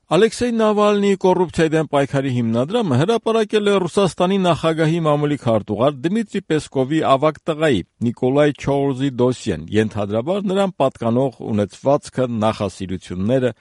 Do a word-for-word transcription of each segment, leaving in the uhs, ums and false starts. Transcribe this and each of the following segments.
Ալեքսեյ Նավալնիի կոռուպցիայի դեմ պայքարի հիմնադրամը հրապարակել է Ռուսաստանի նախագահի մամուլի քարտուղար Դմիտրի Պեսկովի ավագ տղայի Նիկոլայ Չոուզի դոսիեն, ենթադրաբար նրան պատկանող ունեցվածքը, նախասիրությունները։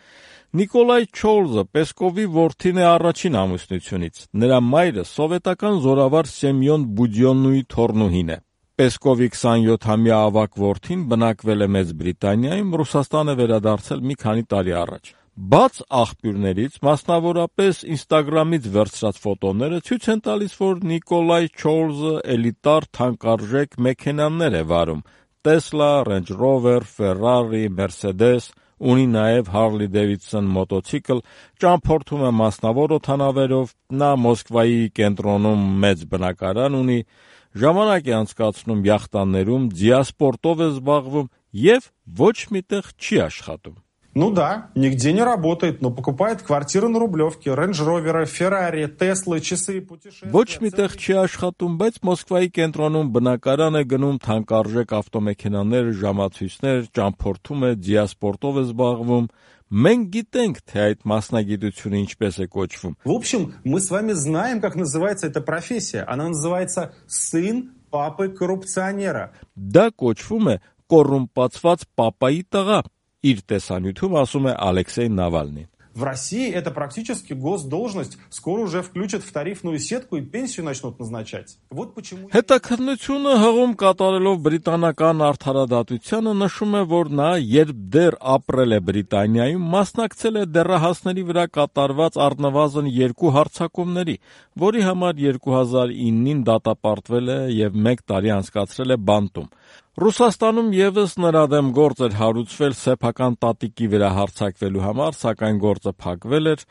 Նիկոլայ Չոուզը Պեսկովի որդին է առաջին ամուսնությունից։ Նրա մայրը սովետական զորավար Սեմյոն Բուդյոննուի թոռնուհին է։ Պեսկովի քսանյոթամյա ավագ որդին բնակվել է Մեծ Բրիտանիայում, Ռուսաստան է վերադարձել մի քանի տարի առաջ։ Բաց աղբյուրներից, մասնավորապես Instagram-ից վերցրած ֆոտոները ցույց են տալիս, որ Նիկոլայ Չոուզը էլիտար թանկարժեք մեքենաներ է վարում՝ Tesla, Range Rover, Ferrari, Mercedes, ունի նաև Harley Davidson մոտոցիկլ, ճամփորդում է մասնավոր օդանավերով, նա Մոսկվայի կենտրոնում մեծ բնակարան ունի, ժամանակ է անցկացնում յախտաներում, ձիասպորտով է զբաղվում և ոչ միտեղ չի աշխատում։ Ну да, нигде не работает, но покупает квартиры на Рублевке, рейндж-роверы, Феррари, Теслы, часы, путешествия. Ոչ միտեղ չի աշխատում, բայց Մոսկվայի կենտրոնում բնակարան է գնում, թանկարժեք ավտոմեքենաներ, ժամացույցներ, ճամփորդում է, ձիասպորտով է զբաղվում։ Մենք գիտենք, թե այդ մասնագիտությունը ինչպես է կոչվում։ В общем, мы с вами знаем, как называется эта профессия. Она называется сын папы коррупционера. Դա կոչվում է կոռումպացված պապայի տղա։ Իր տեսանյութում ասում է Ալեքսեյ Նավալնին։ В России это практически госдолжность. Скоро уже включат в тарифную сетку и пенсию начнут назначать. Вот почему... Հետաքննությունը հղում կատարելով բրիտանական արդարադատությանը նշում է, որ նա, երբ դեռ ապրել է Բրիտանիայում, մասնակցել է դեռահասների վրա կատարված առնվազն երկու հարձակումների, որի համար երկու հազար իննին դատապարտվել է և մեկ տարի անցկացրել է բանտում։ Ռուսաստանում եւս նրա դեմ գործ էր հարուցվել սեփական տատիկի վրա հարձակվելու համար, սակայն գործը փակվել էր։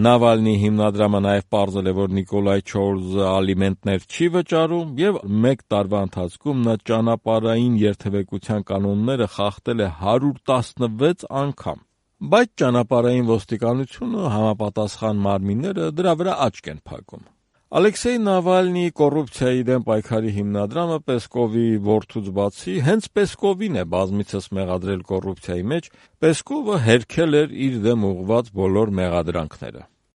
Նավալնիի հիմնադրամը նաև պարզել է, որ Նիկոլայ Չոուզը ալիմենտներ չի վճարում եւ մեկ տարվա ընթացքում նա ճանապարհային երթևեկության կանոնները խախտել է հարյուր տասնվեց անգամ։ Բայց ճանապարհային ոստիկանությունը համապատասխան մարմինները դրա վրա աչք են փակում։ Ալեքսեյ Նավալնիի կոռուպցիայի դեմ պայքարի հիմնադրամը Պեսկովի որդուց բացի հենց Պեսկովին է բազմիցս մեղադրել կոռուպցիայի մեջ, Պեսկովը հերքել էր իր դեմ ուղղված բոլոր մեղադրանքները։